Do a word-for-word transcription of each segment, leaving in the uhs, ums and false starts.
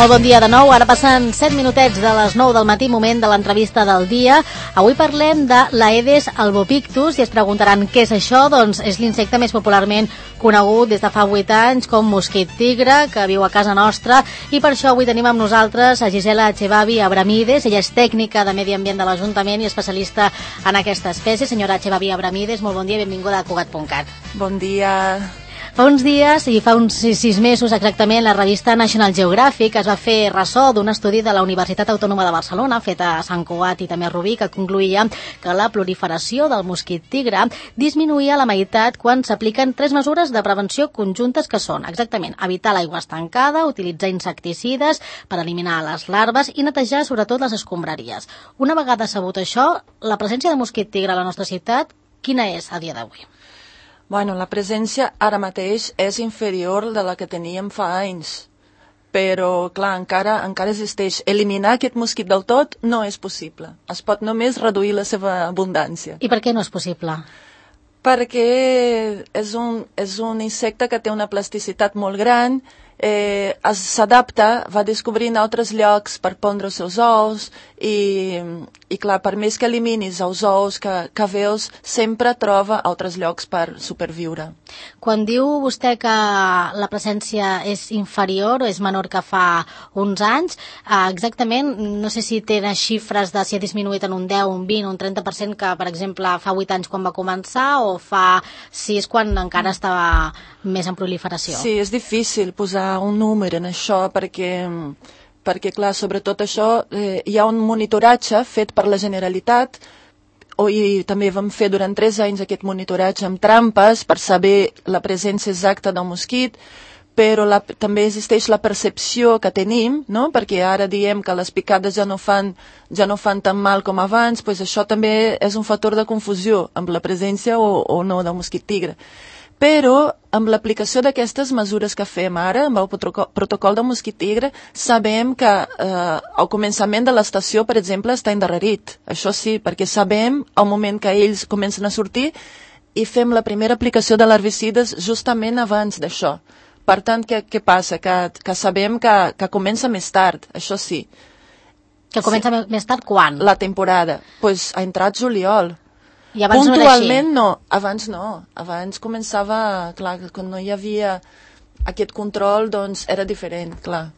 Molt bon dia de nou, ara passen set minutets de les nou del matí, moment de l'entrevista del dia. Avui parlem de l'Aedes albopictus i es preguntaran què és això. Doncs és l'insecte més popularment conegut des de fa vuit anys com mosquit tigre, que viu a casa nostra, i per això avui tenim amb nosaltres a Gisela Echevarri Abramides. Ella és tècnica de Medi Ambient de l'Ajuntament i especialista en aquesta espècie. Senyora Echevarri Abramides, molt bon dia i benvinguda a Cugat punt cat. Bon dia. Fa uns dies, i fa uns sis, sis mesos exactament, la revista National Geographic es va fer ressò d'un estudi de la Universitat Autònoma de Barcelona, fet a Sant Cugat i també a Rubí, que concluïa que la proliferació del mosquit tigre disminuïa a la meitat quan s'apliquen tres mesures de prevenció conjuntes que són, exactament, evitar l'aigua estancada, utilitzar insecticides per eliminar les larves i netejar sobretot les escombraries. Una vegada sabut això, la presència de mosquit tigre a la nostra ciutat, quina és a dia d'avui? Bueno, la presència ara mateix és inferior de la que teníem fa anys, però, clar, encara, encara existeix. Eliminar aquest mosquit del tot no és possible. Es pot només reduir la seva abundància. I per què no és possible? Perquè és un, és un insecte que té una plasticitat molt gran, eh, s'adapta, va descobrint altres llocs per pondre els seus ous i, i clar, per més que eliminis els ous que, que veus, sempre troba altres llocs per superviure. Quan diu vostè que la presència és inferior o és menor que fa uns anys, eh, exactament, no sé si tenen xifres de si ha disminuït en un deu, un vint, un trenta per cent que, per exemple, fa vuit anys quan va començar o fa sis quan encara estava més en proliferació? Sí, és difícil posar un número en això perquè, perquè clar, sobretot això, eh, hi ha un monitoratge fet per la Generalitat o, i també vam fer durant tres anys aquest monitoratge amb trampes per saber la presència exacta del mosquit, però la, també existeix la percepció que tenim, no? Perquè ara diem que les picades ja no fan, ja no fan tan mal com abans, doncs això també és un factor de confusió amb la presència o, o no del mosquit tigre. Però amb l'aplicació d'aquestes mesures que fem ara, amb el protocol del mosquit tigre, sabem que eh, al començament de l'estació, per exemple, està endarrerit. Això sí, perquè sabem al moment que ells comencen a sortir i fem la primera aplicació de l'herbicides justament abans d'això. Per tant, què, què passa? Que, que sabem que, que comença més tard, això sí. Que comença sí. Més tard quan? La temporada. Doncs pues, ha entrat juliol. I abans puntualment no, no, abans no, abans començava, clar, quan no hi havia aquest control, doncs era diferent, clar.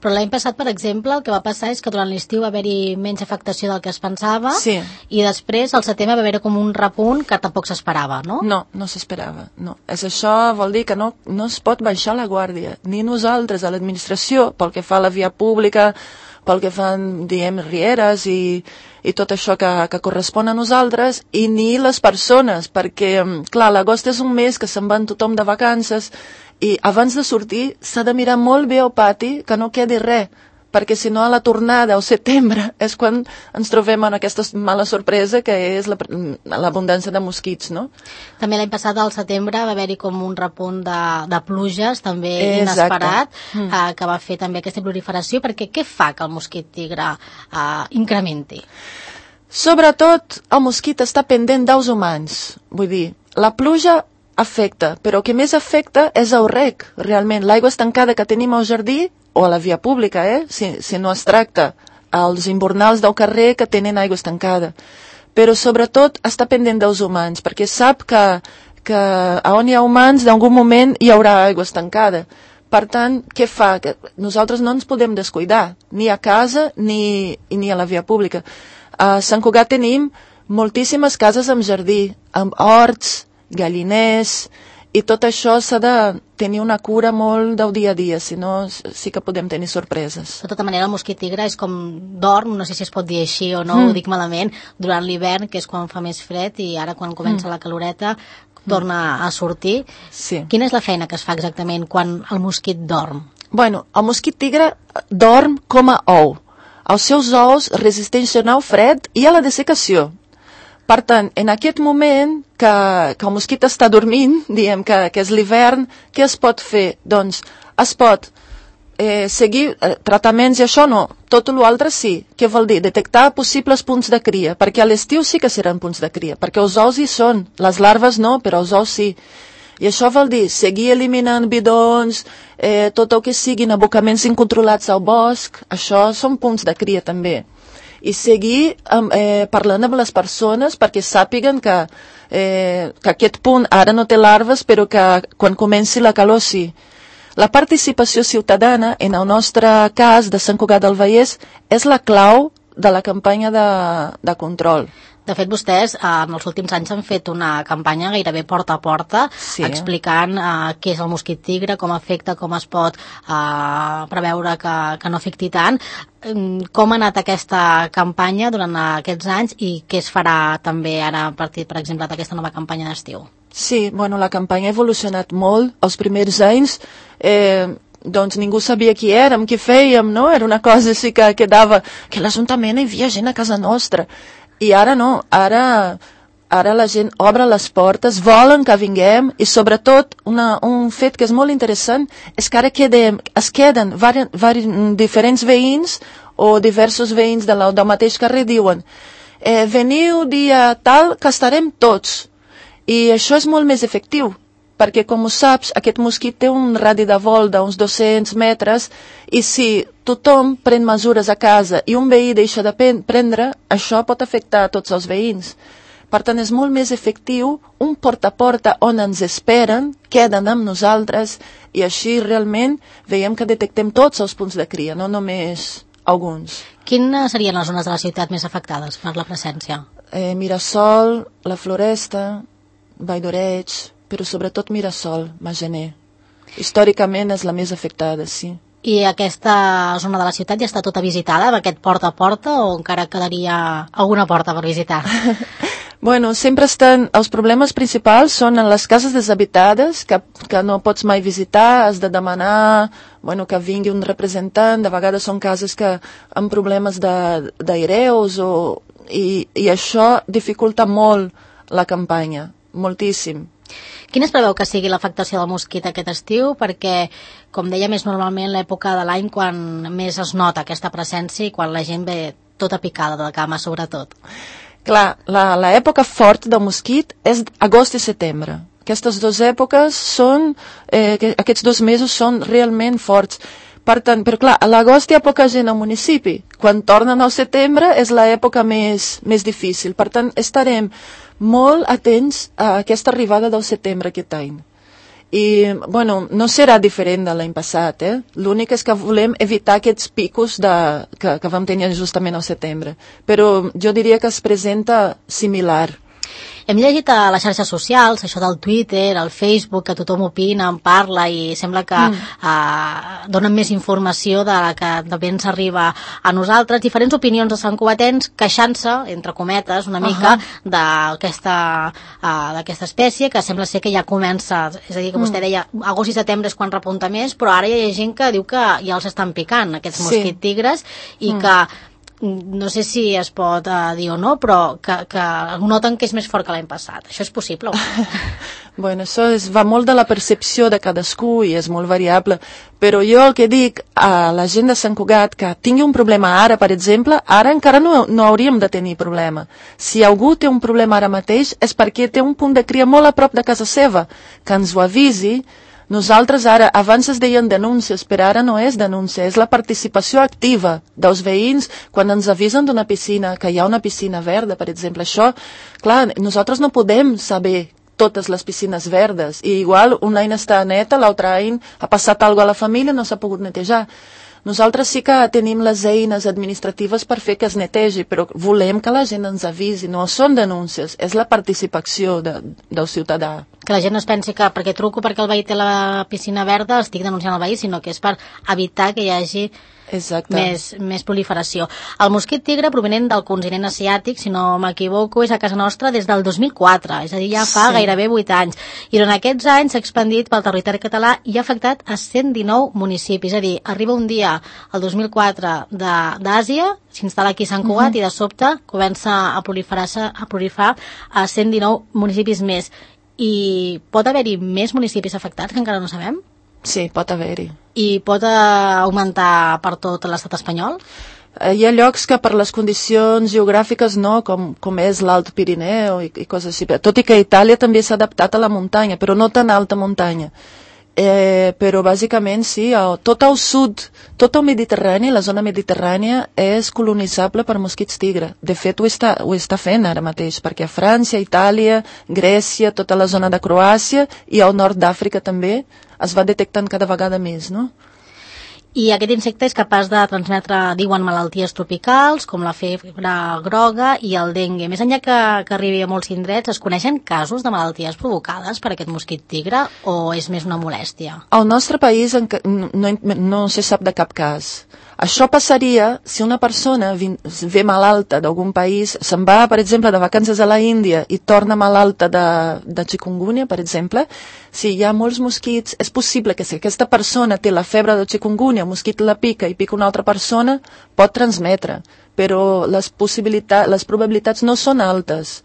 Però l'any passat, per exemple, el que va passar és que durant l'estiu va haver-hi menys afectació del que es pensava, sí. I després al setembre va haver-hi com un repunt que tampoc s'esperava, no? No, no s'esperava, no. És això vol dir que no, no es pot baixar la guàrdia, ni nosaltres a l'administració, pel que fa a la via pública, pel que fan, diem, rieres i, i tot això que, que correspon a nosaltres, i ni les persones, perquè, clar, l'agost és un mes que se'n van tothom de vacances, i abans de sortir s'ha de mirar molt bé al pati que no quedi res, perquè si no a la tornada al setembre és quan ens trobem en aquesta mala sorpresa que és l'abundància de mosquits, no? També l'any passat al setembre va haver-hi com un repunt de, de pluges també inesperat, mm. eh, que va fer també aquesta proliferació, perquè què fa que el mosquit tigre eh, incrementi? Sobretot el mosquit està pendent d'ous humans, vull dir, la pluja afecta, però el que més afecta és el reg, realment, l'aigua estancada que tenim al jardí o a la via pública, eh? si, si no es tracta als invernals del carrer que tenen aigua estancada. Però sobretot està pendent dels humans, perquè sap que, que on hi ha humans d'algun moment hi haurà aigua estancada. Per tant, què fa? Que nosaltres no ens podem descuidar, ni a casa ni, ni a la via pública. A Sant Cugat tenim moltíssimes cases amb jardí, amb horts, galliners, i tot això s'ha de tenir una cura molt del dia a dia, si no sí que podem tenir sorpreses. De tota manera, el mosquit tigre és com dorm, no sé si es pot dir així o no, mm. ho dic malament, durant l'hivern, que és quan fa més fred, i ara quan comença mm. la caloreta torna a sortir. Sí. Quina és la feina que es fa exactament quan el mosquit dorm? Bueno, el mosquit tigre dorm com a ou. Els seus ous resisteixen al fred i a la dessecació. Per tant, en aquest moment que, que el mosquit està dormint, diem que, que és l'hivern, què es pot fer? Doncs es pot eh, seguir eh, tractaments i això no, tot l'altre sí. Què vol dir? Detectar possibles punts de cria, perquè a l'estiu sí que seran punts de cria, perquè els ous hi són, les larves no, però els ous sí. I això vol dir seguir eliminant bidons, eh, tot el que siguin abocaments incontrolats al bosc, això són punts de cria també. I seguir eh, parlant amb les persones perquè sàpiguen que, eh, que aquest punt ara no té larves, però que quan comenci la calor sí. La participació ciutadana, en el nostre cas de Sant Cugat del Vallès, és la clau de la campanya de, de control. De fet, vostès eh, en els últims anys han fet una campanya gairebé porta a porta, sí, explicant eh, què és el mosquit tigre, com afecta, com es pot eh, preveure que, que no afecti tant. Com ha anat aquesta campanya durant aquests anys i què es farà també ara a partir, per exemple, d'aquesta nova campanya d'estiu? Sí, bueno, la campanya ha evolucionat molt. Els primers anys eh, doncs ningú sabia qui érem, què fèiem, no? Era una cosa així que quedava, que a l'Ajuntament hi havia gent a casa nostra. I ara no, ara, ara la gent obre les portes, volen que vinguem i sobretot una, un fet que és molt interessant és que ara quedem, es queden vari, vari, diferents veïns o diversos veïns de la, del mateix carrer diuen eh, veniu dia tal que estarem tots. I això és molt més efectiu, perquè com ho saps, aquest mosquit té un radi de vol d'uns dos-cents metres i si tothom pren mesures a casa i un veí deixa de prendre, això pot afectar a tots els veïns. Per tant, és molt més efectiu un porta a porta on ens esperen, queden amb nosaltres i així realment veiem que detectem tots els punts de cria, no només alguns. Quines serien les zones de la ciutat més afectades per la presència? Eh, Mirasol, la Floresta, Vall d'Oreig, però sobretot Mirasol, Magener. Històricament és la més afectada, sí. I aquesta zona de la ciutat ja està tota visitada, amb aquest porta a porta, o encara quedaria alguna porta per visitar? Bueno, sempre estan... Els problemes principals són en les cases deshabitades, que, que no pots mai visitar, has de demanar bueno, que vingui un representant, de vegades són cases que amb problemes d'aireus, o, i, i això dificulta molt la campanya, moltíssim. Quina es preveu que sigui l'afectació del mosquit aquest estiu? Perquè, com dèiem, és normalment l'època de l'any quan més es nota aquesta presència i quan la gent ve tota picada de cama, sobretot. Clar, l'època fort del mosquit és agost i setembre. Aquestes dues èpoques són, eh, aquests dos mesos són realment forts. Per tant, però clar, a l'agost hi ha poca gent al municipi. Quan tornen al setembre és l'època més, més difícil. Per tant, estarem molt atents a aquesta arribada del setembre aquest any. I, bueno, no serà diferent de l'any passat, eh? L'únic és que volem evitar aquests picos de, que, que vam tenir justament al setembre. Però jo diria que es presenta similar. Hem llegit a les xarxes socials, això del Twitter, el Facebook, que tothom opina, en parla i sembla que mm. eh, donen més informació de la que de ben s'arriba a nosaltres. Diferents opinions de santcugatens queixant-se, entre cometes, una mica uh-huh. d'aquesta uh, d'aquesta espècie, que sembla ser que ja comença, és a dir, que vostè mm. deia agost i setembre és quan repunta més, però ara hi ha gent que diu que ja els estan picant, aquests sí. mosquit tigres, i mm. que no sé si es pot uh, dir o no, però que, que noten que és més fort que l'any passat. Això és possible? Bueno, això és, va molt de la percepció de cadascú i és molt variable, però jo el que dic a la gent de Sant Cugat que tingui un problema ara, per exemple, ara encara no, no hauríem de tenir problema. Si algú té un problema ara mateix és perquè té un punt de cria molt a prop de casa seva, que ens ho avisi. Nosaltres ara, abans es deien denúncies, però ara no és denúncia, és la participació activa dels veïns quan ens avisen d'una piscina, que hi ha una piscina verda, per exemple. Això, clar, nosaltres no podem saber totes les piscines verdes, i igual un any està neta, l'altre any ha passat alguna cosa a la família, no s'ha pogut netejar. Nosaltres sí que tenim les eines administratives per fer que es netegi, però volem que la gent ens avisi, no són denúncies, és la participació de, del ciutadà. Que la gent no es pensi que perquè truco perquè el veí té la piscina verda estic denunciant el veí, sinó que és per evitar que hi hagi més, més proliferació. El mosquit tigre provenent del continent asiàtic, si no m'equivoco, és a casa nostra des del dos mil quatre, és a dir, ja fa sí. gairebé vuit anys. I durant aquests anys s'ha expandit pel territori català i ha afectat a cent dinou municipis. És a dir, arriba un dia, el dos mil quatre, d'Àsia, s'instal·la aquí a Sant Cugat uh-huh. i de sobte comença a proliferar-se a proliferar a cent dinou municipis més. I pot haver-hi més municipis afectats que encara no sabem? Sí, pot haver-hi. I pot augmentar per tot l'estat espanyol? Hi ha llocs que per les condicions geogràfiques no, com, com és l'Alt Pirineu i, i coses així. Tot i que Itàlia també s'ha adaptat a la muntanya, però no tan alta muntanya. Eh, però bàsicament sí, tot el sud, tot el Mediterrani, la zona mediterrània és colonitzable per mosquits tigre. De fet ho està, ho està fent ara mateix, perquè a França, Itàlia, Grècia, tota la zona de Croàcia i al nord d'Àfrica també es va detectant cada vegada més, no? I aquest insecte és capaç de transmetre, diuen, malalties tropicals, com la febre groga i el dengue. Més enllà que, que arribi a molts indrets, es coneixen casos de malalties provocades per aquest mosquit tigre o és més una molèstia? Al nostre país no, no, no se sap de cap cas. Això passaria si una persona ve malalta d'algun país, se'n va, per exemple, de vacances a la Índia i torna malalta de, de chikungunya, per exemple. Si hi ha molts mosquits, és possible que si aquesta persona té la febre de chikungunya, el mosquit la pica i pica una altra persona, pot transmetre, però les possibilitats, les probabilitats no són altes.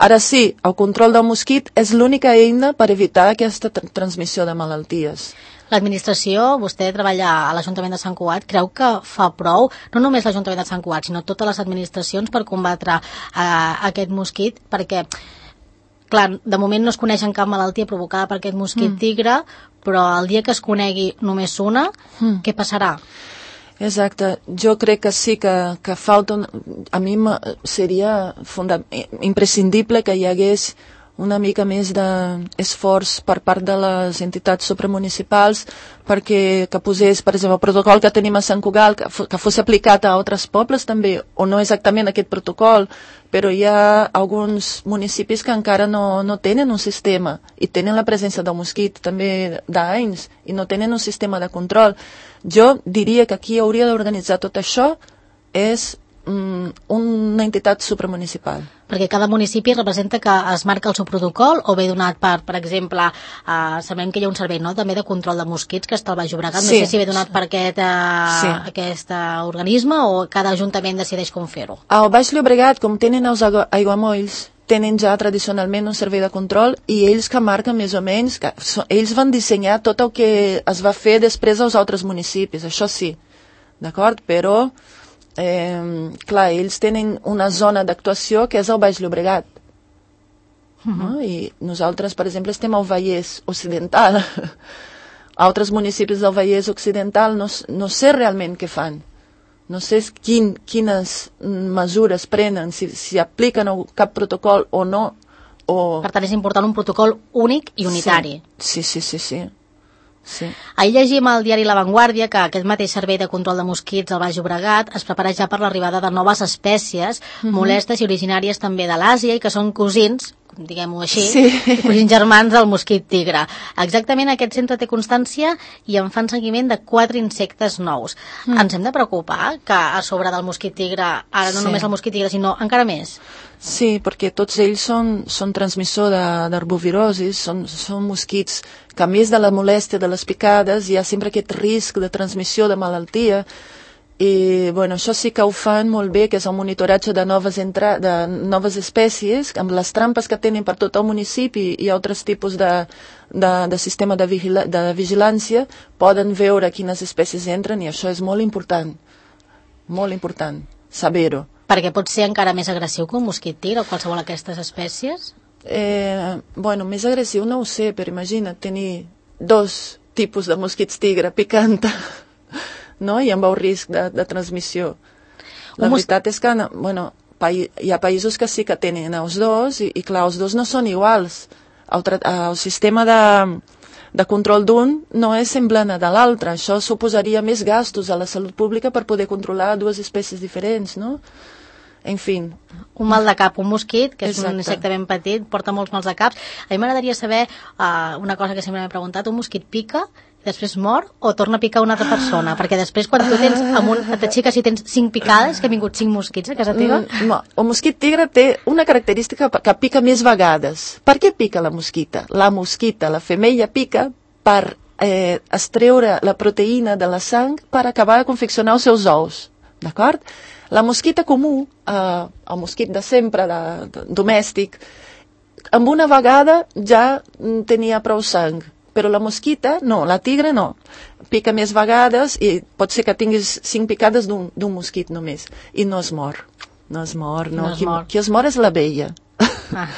Ara sí, el control del mosquit és l'única eina per evitar aquesta tra- transmissió de malalties. L'administració, vostè treballa a l'Ajuntament de Sant Cugat, creu que fa prou, no només l'Ajuntament de Sant Cugat, sinó totes les administracions per combatre eh, aquest mosquit, perquè, clar, de moment no es coneix cap malaltia provocada per aquest mosquit mm. tigre, però el dia que es conegui només una, mm. què passarà? Exacte, jo crec que sí que, que falta, a mi seria funda- imprescindible que hi hagués una mica més d'esforç per part de les entitats supramunicipals perquè que posés, per exemple, el protocol que tenim a Sant Cugat, que, f- que fos aplicat a altres pobles també, o no exactament aquest protocol, però hi ha alguns municipis que encara no, no tenen un sistema i tenen la presència del mosquit també d'anys i no tenen un sistema de control. Jo diria que qui hauria d'organitzar tot això és mm, una entitat supramunicipal. Perquè cada municipi representa que es marca el seu protocol o ve donat per, per exemple, eh, sabem que hi ha un servei, no?, també de control de mosquits que està al Baix Llobregat, sí. No sé si ve donat per aquest, eh, sí. aquest eh, organisme o cada ajuntament decideix com fer-ho. Al Baix Llobregat, com tenen els aigua- aiguamolls, tenen ja tradicionalment un servei de control i ells que marquen més o menys, que so, ells van dissenyar tot el que es va fer després als altres municipis, això sí, d'acord? Però Eh, clar, ells tenen una zona d'actuació que és el Baix Llobregat. Uh-huh. No? I nosaltres, per exemple, estem al Vallès Occidental. Altres municipis del Vallès Occidental no, no sé realment què fan. No sé quin, quines mesures prenen, si, si apliquen cap protocol o no. O... Per tant, és important un protocol únic i unitari. Sí, sí, sí, sí. sí. Sí. Ahir llegim al diari La Vanguardia que aquest mateix servei de control de mosquits al Baix Llobregat es prepara ja per l'arribada de noves espècies uh-huh. molestes i originàries també de l'Àsia i que són cosins, diguem-ho així, sí. cosins germans del mosquit tigre. Exactament aquest centre té constància i en fan seguiment de quatre insectes nous. Mm. Ens hem de preocupar que a sobre del mosquit tigre, ara no sí. només el mosquit tigre, sinó encara més? Sí, perquè tots ells són, són transmissors d'arbovirosis, són, són mosquits que a més de la molèstia de les picades hi ha sempre aquest risc de transmissió de malaltia i bueno, això sí que ho fan molt bé, que és el monitoratge de noves, entra de noves espècies, amb les trampes que tenen per tot el municipi i altres tipus de, de, de sistema de, vigila de vigilància, poden veure quines espècies entren i això és molt important, molt important, saber-ho. Perquè pot ser encara més agressiu que un mosquit tigre o qualsevol d'aquestes espècies? Eh, bueno, més agressiu no ho sé, però imagina tenir dos tipus de mosquits tigre picant, no? I amb el risc de, de transmissió. La un veritat és que bueno, hi ha països que sí que tenen els dos i, i clar, els dos no són iguals. El, el sistema de, de control d'un no és semblant a de l'altre. Això suposaria més gastos a la salut pública per poder controlar dues espècies diferents, no? En fi. Un mal de cap, un mosquit, que és Exacte. Un insecte ben petit, porta molts mals de caps. A mi m'agradaria saber uh, una cosa que sempre m'he preguntat, un mosquit pica, després mor o torna a picar una altra persona? Perquè després quan tu tens, amb un, t'aixeques si tens cinc picades, que han vingut cinc mosquits a casa teva? Mm, no, el mosquit tigre té una característica que pica més vegades. Per què pica la mosquita? La mosquita, la femella, pica per eh, extreure la proteïna de la sang per acabar de confeccionar els seus ous. D'acord? La mosquita comú, eh, el mosquit de sempre, de, de, domèstic, amb una vegada ja tenia prou sang. però la mosquita, no, la tigre no. Pica més vegades i pot ser que tinguis cinc picades d'un mosquit només. I no es mor. No es mor, no. no es qui, mor. qui es mor és l'abella. Ah.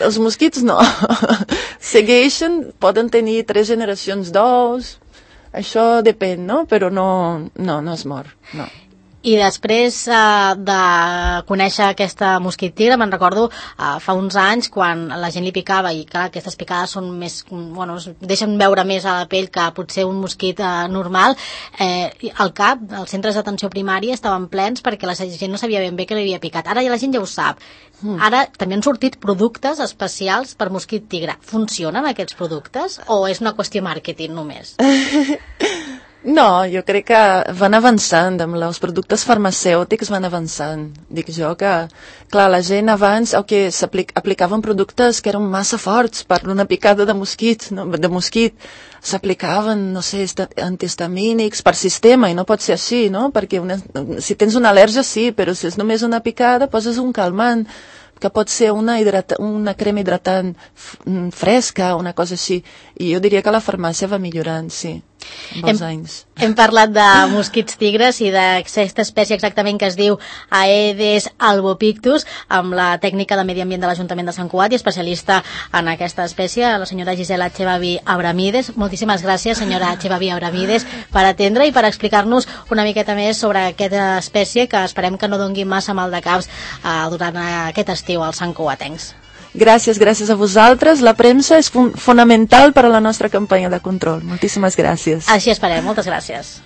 Els mosquits no. Segueixen, poden tenir tres generacions d'ous, això depèn, no? Però no, no, no es mor, no. I després eh, de conèixer aquesta mosquit tigre, me'n recordo eh, fa uns anys quan la gent li picava, i clar, aquestes picades són més, bueno, es deixen veure més a la pell que potser un mosquit eh, normal, eh, al cap, els centres d'atenció primària estaven plens perquè la gent no sabia ben bé què li havia picat. Ara ja la gent ja ho sap. Ara també han sortit productes especials per mosquit tigre. Funcionen aquests productes o és una qüestió màrqueting només? No, jo crec que van avançant, amb els productes farmacèutics van avançant. Dic jo que, clar, la gent abans el que s'aplicaven productes que eren massa forts per una picada de mosquit, no? de mosquit. S'aplicaven, no sé, antihistamínics per sistema, i no pot ser així, no? Perquè una, si tens una al·lèrgia, sí, però si és només una picada, poses un calmant, que pot ser una, hidrata, una crema hidratant fresca, una cosa així. I jo diria que la farmàcia va millorant, sí, amb els anys. Hem parlat de mosquits tigres i d'aquesta espècie exactament que es diu Aedes albopictus, amb la tècnica de medi ambient de l'Ajuntament de Sant Cugat i especialista en aquesta espècie, la senyora Gisela Echevarri Abramides. Moltíssimes gràcies, senyora Echevarri Abramides, per atendre i per explicar-nos una miqueta més sobre aquesta espècie que esperem que no dongui massa mal de caps eh, durant aquest estiu als santcugatencs. Gràcies, gràcies a vosaltres. La premsa és fun fonamental per a la nostra campanya de control. Moltíssimes gràcies. Així esperem. Moltes gràcies.